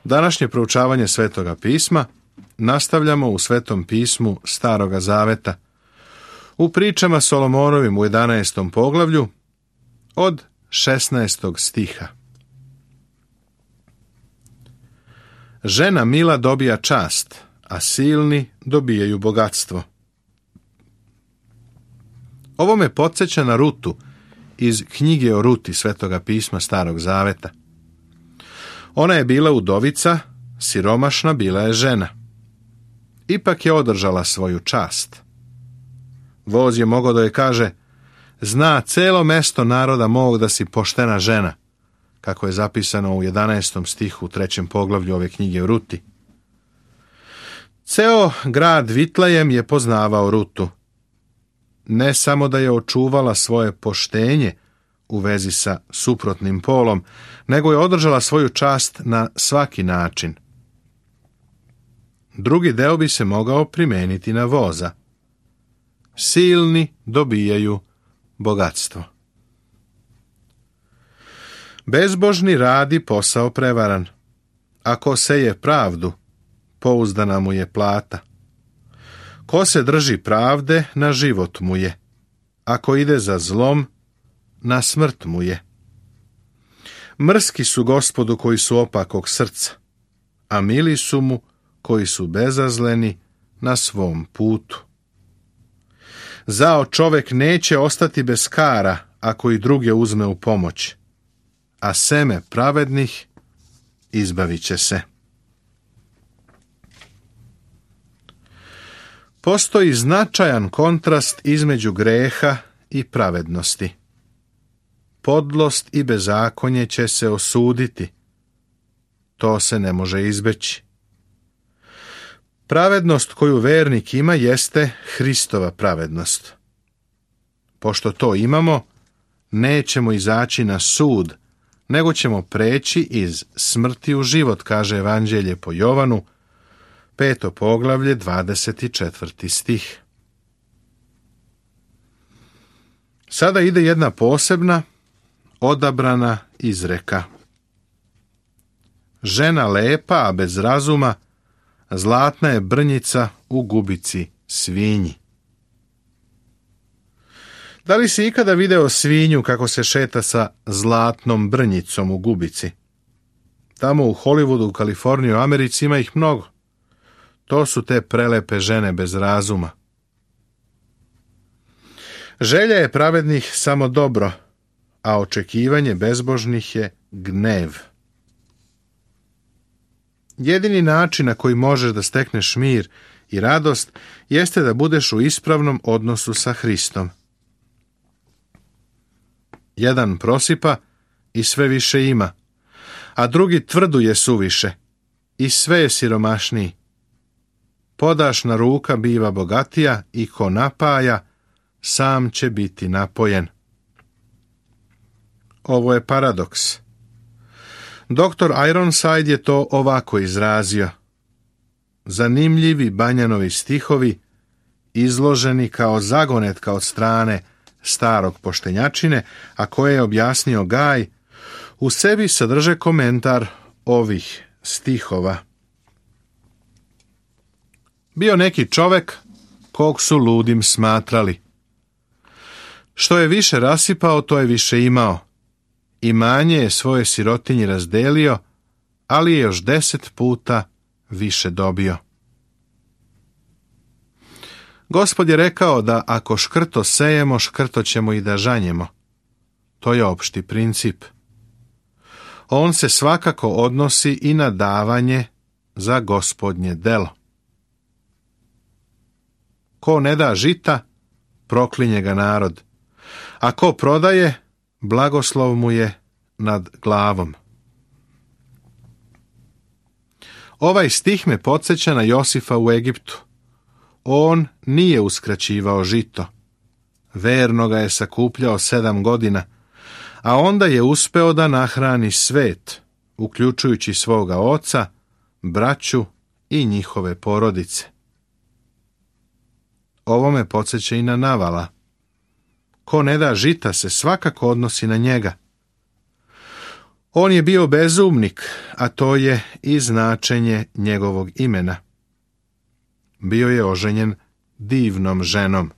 Današnje proučavanje Svetoga pisma nastavljamo u Svetom pismu Staroga zaveta, u pričama Solomonovim u 11. poglavlju od 16. stiha. Žena mila dobija čast, a silni dobijaju bogatstvo. Ovo me podsjeća na Rutu iz knjige o Ruti Svetoga pisma Starog zaveta. Ona je bila udovica, siromašna bila je žena. Ipak je održala svoju čast. Voz je mogao da joj kaže: zna celo mesto naroda mog da si poštena žena, kako je zapisano u 11. stihu u 3. poglavlju ove knjige o Ruti. Ceo grad Vitlejem je poznavao Rutu. Ne samo da je očuvala svoje poštenje u vezi sa suprotnim polom, nego je održala svoju čast na svaki način. Drugi deo bi se mogao primeniti na voza. Silni dobijaju bogatstvo. Bezbožni radi posao prevaran. Ako seje pravdu, pouzdana mu je plata. Ko se drži pravde, na život mu je. Ako ide za zlom, na smrt mu je. Mrski su Gospodu koji su opakog srca, a mili su mu koji su bezazleni na svom putu. Zao čovek neće ostati bez kara ako i druge uzme u pomoć, a seme pravednih izbavit će se. Postoji značajan kontrast između greha i pravednosti. Podlost i bezakonje će se osuditi. To se ne može izbeći. Pravednost koju vernik ima jeste Hristova pravednost. Pošto to imamo, nećemo izaći na sud, nego ćemo preći iz smrti u život, kaže Evanđelje po Jovanu, 5. poglavlje, 24. stih. Sada ide jedna posebna, odabrana izreka. Žena lepa, a bez razuma, zlatna je brnjica u gubici svinji. Da li si ikada video svinju kako se šeta sa zlatnom brnjicom u gubici? Tamo u Hollywoodu, u Kaliforniji, u Americi ima ih mnogo. To su te prelepe žene bez razuma. Želja je pravednih samo dobro, a očekivanje bezbožnih je gnev. Jedini način na koji možeš da stekneš mir i radost jeste da budeš u ispravnom odnosu sa Hristom. Jedan prosipa i sve više ima, a drugi tvrduje suviše i sve je siromašniji. Podašna ruka biva bogatija i ko napaja, sam će biti napojen. Ovo je paradoks. Dr. Ironside je to ovako izrazio. Zanimljivi Banjanovi stihovi, izloženi kao zagonetka od strane starog poštenjačine, a koje je objasnio Gaj, u sebi sadrže komentar ovih stihova. Bio neki čovek kog su ludim smatrali. Što je više rasipao, to je više imao. Imanje je svoje sirotinji razdelio, ali je još 10 puta više dobio. Gospod je rekao da ako škrto sejemo, škrto ćemo i da žanjemo. To je opšti princip. On se svakako odnosi i na davanje za Gospodnje delo. Ko ne da žita, proklinje ga narod, a ko prodaje, blagoslov mu je nad glavom. Ovaj stih me podsjeća na Josifa u Egiptu. On nije uskraćivao žito. Verno ga je sakupljao 7 godina, a onda je uspeo da nahrani svet, uključujući svoga oca, braću i njihove porodice. Ovo me podsjeća i na Navala. Ko ne da žita se svakako odnosi na njega. On je bio bezumnik, a to je i značenje njegovog imena. Bio je oženjen divnom ženom,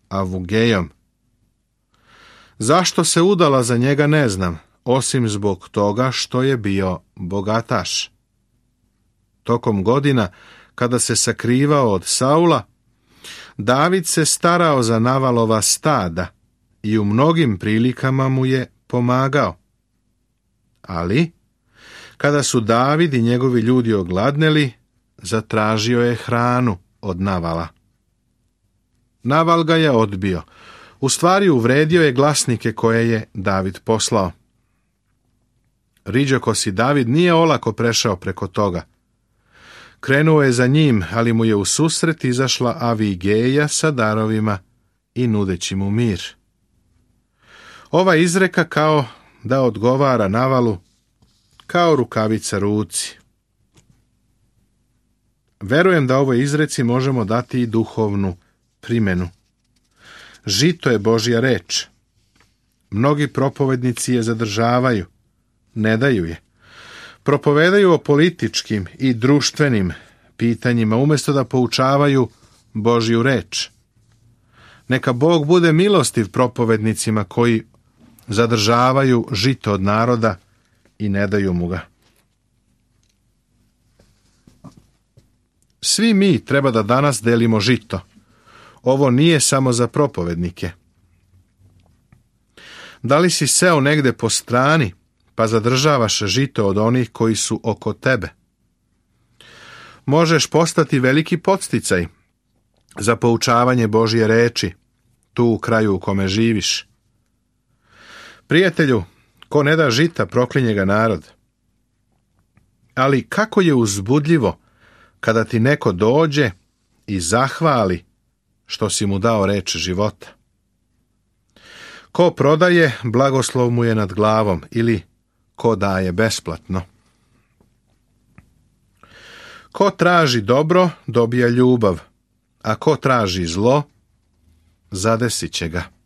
Avugejom. Zašto se udala za njega ne znam, osim zbog toga što je bio bogataš. Tokom godina, kada se sakrivao od Saula, David se starao za Navalova stada i u mnogim prilikama mu je pomagao. Ali, kada su David i njegovi ljudi ogladneli, zatražio je hranu od Navala. Naval ga je odbio. U stvari uvredio je glasnike koje je David poslao. Riđokosi David nije olako prešao preko toga. Krenuo je za njim, ali mu je u susret izašla Avigeja sa darovima i nudeći mu mir. Ova izreka kao da odgovara Navalu kao rukavica ruci. Verujem da ovoj izreci možemo dati i duhovnu primjenu. Žito je Božja reč. Mnogi propovednici je zadržavaju, ne daju je. Propovedaju o političkim i društvenim pitanjima umjesto da poučavaju Božju reč. Neka Bog bude milostiv propovednicima koji zadržavaju žito od naroda i ne daju mu ga. Svi mi treba da danas delimo žito. Ovo nije samo za propovednike. Da li si seo negde po strani, pa zadržavaš žito od onih koji su oko tebe? Možeš postati veliki podsticaj za poučavanje Božje reči, tu u kraju u kome živiš. Prijatelju, ko ne da žita, proklinje ga narod. Ali kako je uzbudljivo kada ti neko dođe i zahvali što si mu dao reč života. Ko prodaje, blagoslov mu je nad glavom, ili ko daje besplatno. Ko traži dobro, dobija ljubav, a ko traži zlo, zadesit će ga.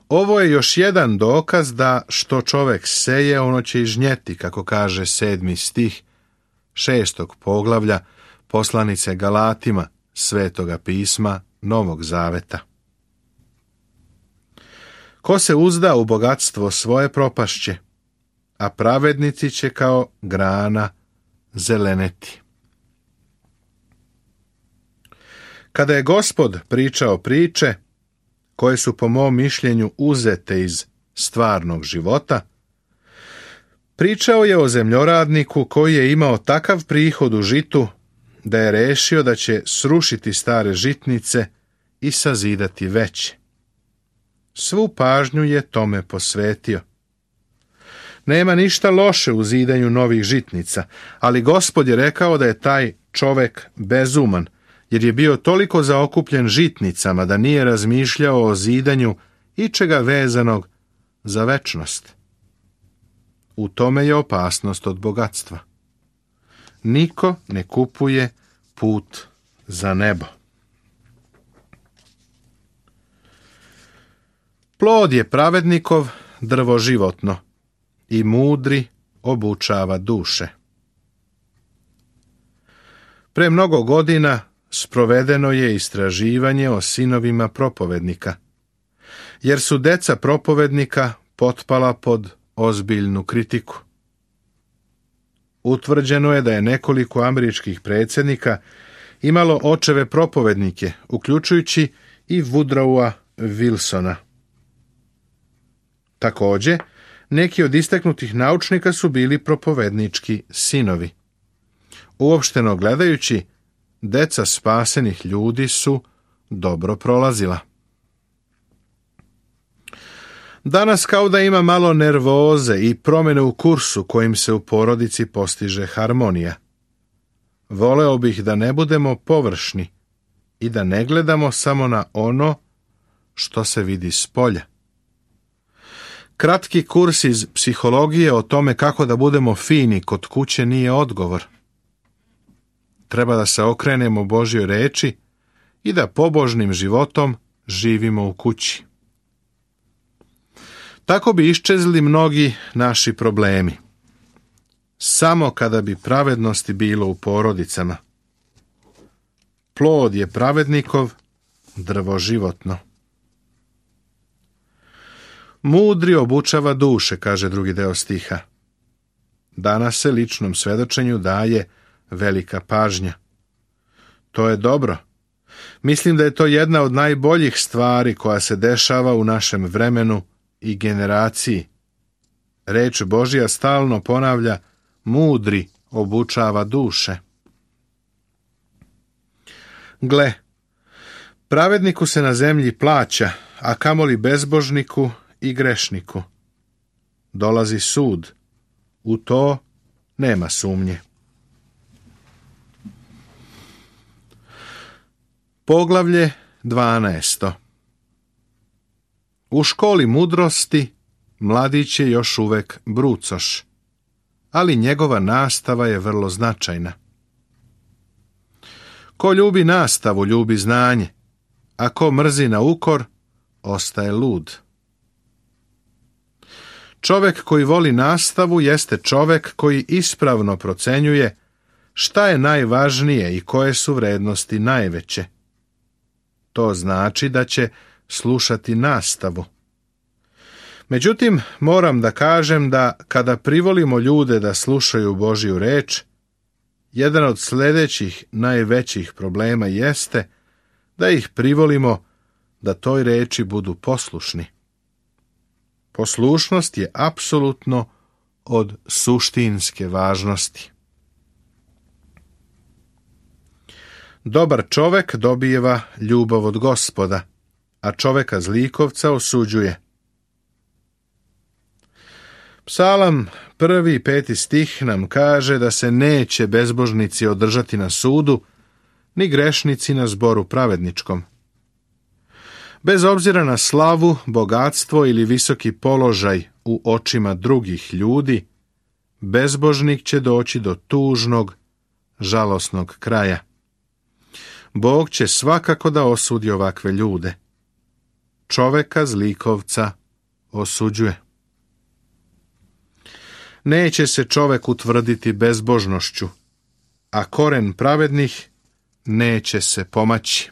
Ovo je još jedan dokaz da što čovek seje, ono će i žnjeti, kako kaže 7. stih 6. poglavlja poslanice Galatima, Svetoga pisma Novog Zaveta. Ko se uzda u bogatstvo svoje propašće, a pravednici će kao grana zeleneti. Kada je Gospod pričao priče, koje su po mom mišljenju uzete iz stvarnog života, pričao je o zemljoradniku koji je imao takav prihod u žitu da je rešio da će srušiti stare žitnice i sazidati veće. Svu pažnju je tome posvetio. Nema ništa loše u zidanju novih žitnica, ali Gospod je rekao da je taj čovek bezuman, jer je bio toliko zaokupljen žitnicama da nije razmišljao o zidanju ičega vezanog za večnost. U tome je opasnost od bogatstva. Niko ne kupuje put za nebo. Plod je pravednikov drvo životno i mudri obučava duše. Pre mnogo godina sprovedeno je istraživanje o sinovima propovednika, jer su deca propovednika potpala pod ozbiljnu kritiku. Utvrđeno je da je nekoliko američkih predsjednika imalo očeve propovednike, uključujući i Woodrowa Wilsona. Također, neki od istaknutih naučnika su bili propovednički sinovi. Uopšteno gledajući, deca spasenih ljudi su dobro prolazila. Danas kao da ima malo nervoze i promjene u kursu kojim se u porodici postiže harmonija. Voleo bih da ne budemo površni i da ne gledamo samo na ono što se vidi spolja. Kratki kurs iz psihologije o tome kako da budemo fini kod kuće nije odgovor. Treba da se okrenemo Božjoj reči i da pobožnim životom živimo u kući. Tako bi iščezli mnogi naši problemi. Samo kada bi pravednosti bilo u porodicama. Plod je pravednikov, drvo životno. Mudri obučava duše, kaže drugi deo stiha. Danas se ličnom svedočenju daje velika pažnja. To je dobro. Mislim da je to jedna od najboljih stvari koja se dešava u našem vremenu i generaciji. Reč Božja stalno ponavlja: mudri obučava duše. Gle, pravedniku se na zemlji plaća, a kamoli bezbožniku i grešniku. Dolazi sud. U to nema sumnje. Poglavlje 12. U školi mudrosti mladić je još uvek brucoš, ali njegova nastava je vrlo značajna. Ko ljubi nastavu, ljubi znanje, a ko mrzi na ukor, ostaje lud. Čovek koji voli nastavu jeste čovek koji ispravno procenjuje šta je najvažnije i koje su vrednosti najveće. To znači da će slušati nastavu. Međutim, moram da kažem da kada privolimo ljude da slušaju Božju reč, jedan od sljedećih najvećih problema jeste da ih privolimo da toj reči budu poslušni. Poslušnost je apsolutno od suštinske važnosti. Dobar čovek dobijeva ljubav od Gospoda, a čoveka zlikovca osuđuje. Psalam 1. i 5. stih nam kaže da se neće bezbožnici održati na sudu, ni grešnici na zboru pravedničkom. Bez obzira na slavu, bogatstvo ili visoki položaj u očima drugih ljudi, bezbožnik će doći do tužnog, žalosnog kraja. Bog će svakako da osudi ovakve ljude. Čoveka zlikovca osuđuje. Neće se čovek utvrditi bezbožnošću, a koren pravednih neće se pomaći.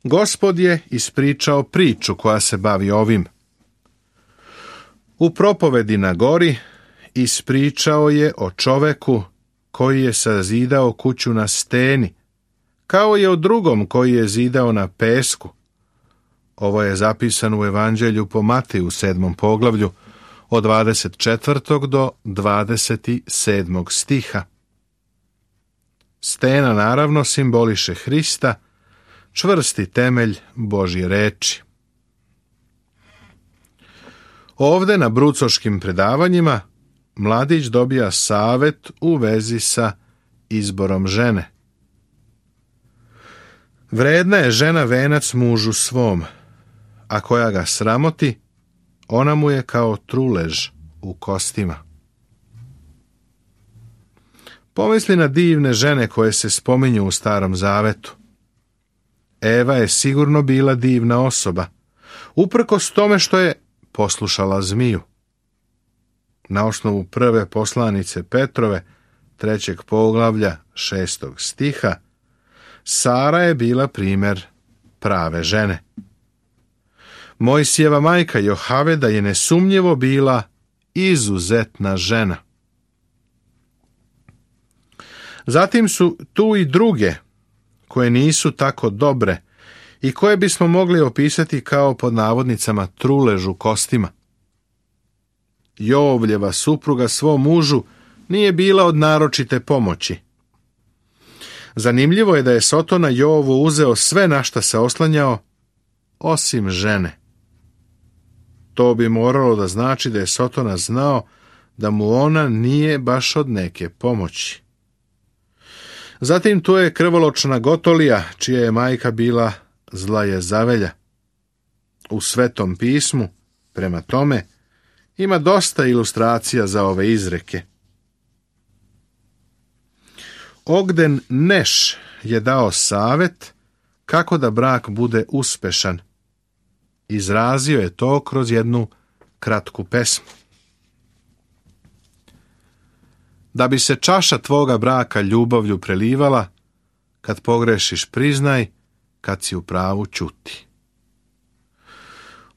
Gospod je ispričao priču koja se bavi ovim. U propovedi na gori ispričao je o čoveku koji je sazidao kuću na steni, kao i o drugom koji je zidao na pesku. Ovo je zapisano u Evanđelju po Mateju 7. poglavlju od 24. do 27. stiha. Stena naravno simboliše Hrista, čvrsti temelj Božje reči. Ovde na brucoškim predavanjima mladić dobija savet u vezi sa izborom žene. Vredna je žena venac mužu svom, a koja ga sramoti, ona mu je kao trulež u kostima. Pomisli na divne žene koje se spominju u Starom Zavetu. Eva je sigurno bila divna osoba, uprkos tome što je poslušala zmiju. Na osnovu prve poslanice Petrove, 3. poglavlja, 6. stiha, Sara je bila primer prave žene. Mojsijeva majka Johaveda je nesumnjivo bila izuzetna žena. Zatim su tu i druge, koje nisu tako dobre i koje bismo mogli opisati kao pod navodnicama trulež u kostima. Jovljeva supruga svom mužu nije bila od naročite pomoći. Zanimljivo je da je Sotona Jovu uzeo sve na šta se oslanjao, osim žene. To bi moralo da znači da je Sotona znao da mu ona nije baš od neke pomoći. Zatim tu je krvoločna Gotolija, čija je majka bila zla Jezavelja. U Svetom pismu, prema tome, ima dosta ilustracija za ove izreke. Ogden Neš je dao savet kako da brak bude uspešan Izrazio je to kroz jednu kratku pesmu. Da bi se čaša tvoga braka ljubavlju prelivala, kad pogrešiš priznaj, kad si u pravu ćuti.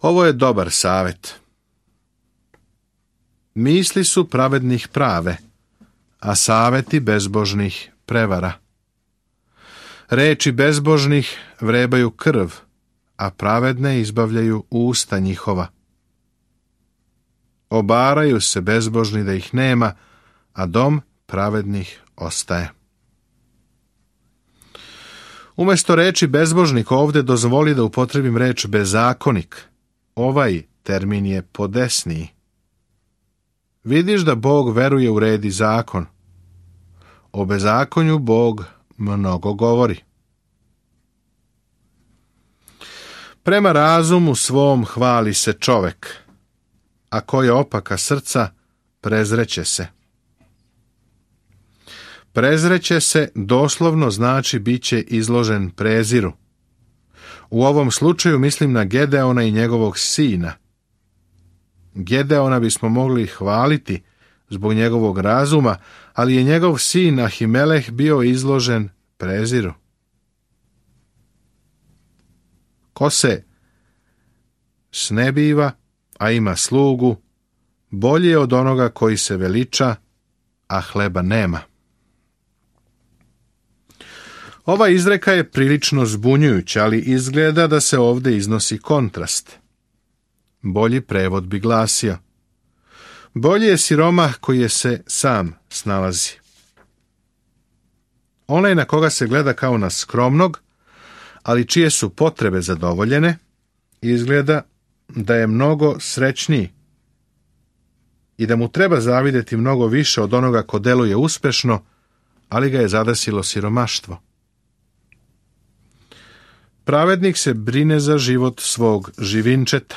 Ovo je dobar savjet. Misli su pravednih prave, a savjeti bezbožnih prevara. Reči bezbožnih vrebaju krv, a pravedne izbavljaju usta njihova. Obaraju se bezbožni da ih nema, a dom pravednih ostaje. Umjesto reči bezbožnik ovdje dozvoli da upotrebim reč bezakonik. Ovaj termin je podesniji. Vidiš da Bog veruje u red i zakon. O bezakonju Bog mnogo govori. Prema razumu svom hvali se čovek, a ko je opaka srca, prezreće se. Prezreće se doslovno znači bit će izložen preziru. U ovom slučaju mislim na Gedeona i njegovog sina. Gedeona bismo mogli hvaliti zbog njegovog razuma, ali je njegov sin Ahimeleh bio izložen preziru. Ko se snebiva, a ima slugu, bolje je od onoga koji se veliča, a hleba nema. Ova izreka je prilično zbunjujuća, ali izgleda da se ovdje iznosi kontrast. Bolji prevod bi glasio: bolji je siromah koji je se sam snalazi. Onaj na koga se gleda kao na skromnog, ali čije su potrebe zadovoljene, izgleda da je mnogo srećniji i da mu treba zavidjeti mnogo više od onoga ko deluje uspešno, ali ga je zadesilo siromaštvo. Pravednik se brine za život svog živinčeta,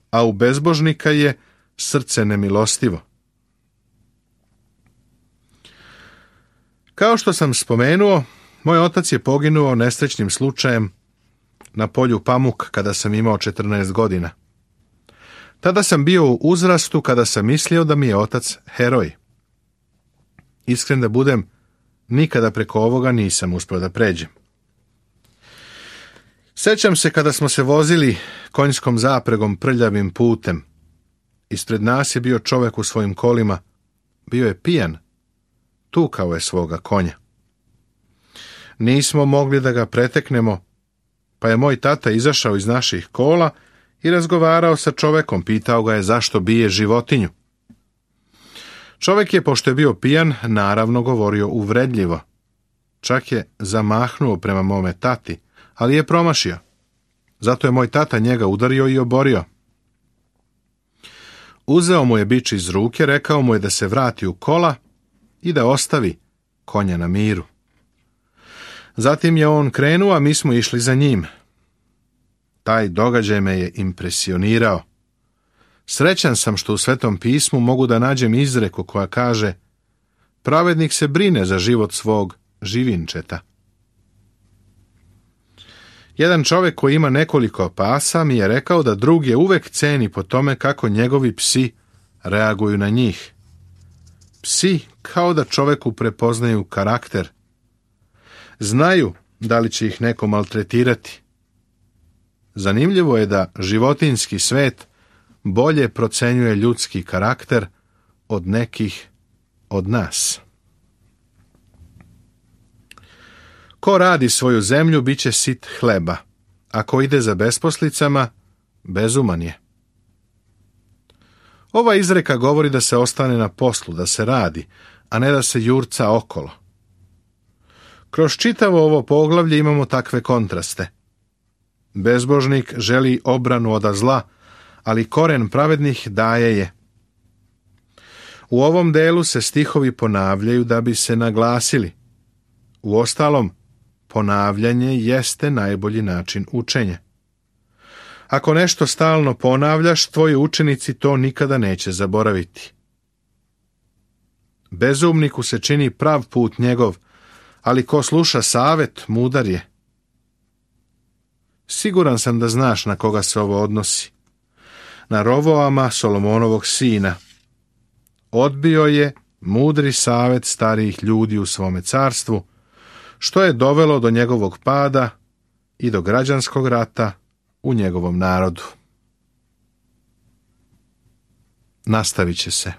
a u bezbožnika je srce nemilostivo. Kao što sam spomenuo, moj otac je poginuo nesrećnim slučajem na polju pamuk kada sam imao 14 godina. Tada sam bio u uzrastu kada sam mislio da mi je otac heroj. Iskren da budem, nikada preko ovoga nisam uspio da pređem. Sjećam se kada smo se vozili konjskom zapregom prljavim putem. Ispred nas je bio čovjek u svojim kolima. Bio je pijan. Tukao je svoga konja. Nismo mogli da ga preteknemo, pa je moj tata izašao iz naših kola i razgovarao sa čovjekom, pitao ga je zašto bije životinju. Čovjek je, pošto je bio pijan, naravno govorio uvredljivo. Čak je zamahnuo prema mome tati, ali je promašio. Zato je moj tata njega udario i oborio. Uzeo mu je bič iz ruke, rekao mu je da se vrati u kola i da ostavi konja na miru. Zatim je on krenuo, a mi smo išli za njim. Taj događaj me je impresionirao. Srećan sam što u Svetom pismu mogu da nađem izreku koja kaže: pravednik se brine za život svog živinčeta. Jedan čovjek koji ima nekoliko pasa mi je rekao da drug je uvek ceni po tome kako njegovi psi reaguju na njih. Psi kao da čovjeku prepoznaju karakter. Znaju da li će ih neko maltretirati. Zanimljivo je da životinjski svet bolje procenjuje ljudski karakter od nekih od nas. Ko radi svoju zemlju, bit će sit hleba, a ko ide za besposlicama, bezuman je. Ova izreka govori da se ostane na poslu, da se radi, a ne da se jurca okolo. Kroz čitavo ovo poglavlje imamo takve kontraste. Bezbožnik želi obranu od zla, ali koren pravednih daje je. U ovom delu se stihovi ponavljaju da bi se naglasili. Uostalom, ponavljanje jeste najbolji način učenja. Ako nešto stalno ponavljaš, tvoji učenici to nikada neće zaboraviti. Bezumniku se čini prav put njegov, ali ko sluša savet, mudar je. Siguran sam da znaš na koga se ovo odnosi. Na Rovoama, Solomonovog sina. Odbio je mudri savjet starijih ljudi u svome carstvu, što je dovelo do njegovog pada i do građanskog rata u njegovom narodu. Nastavit će se.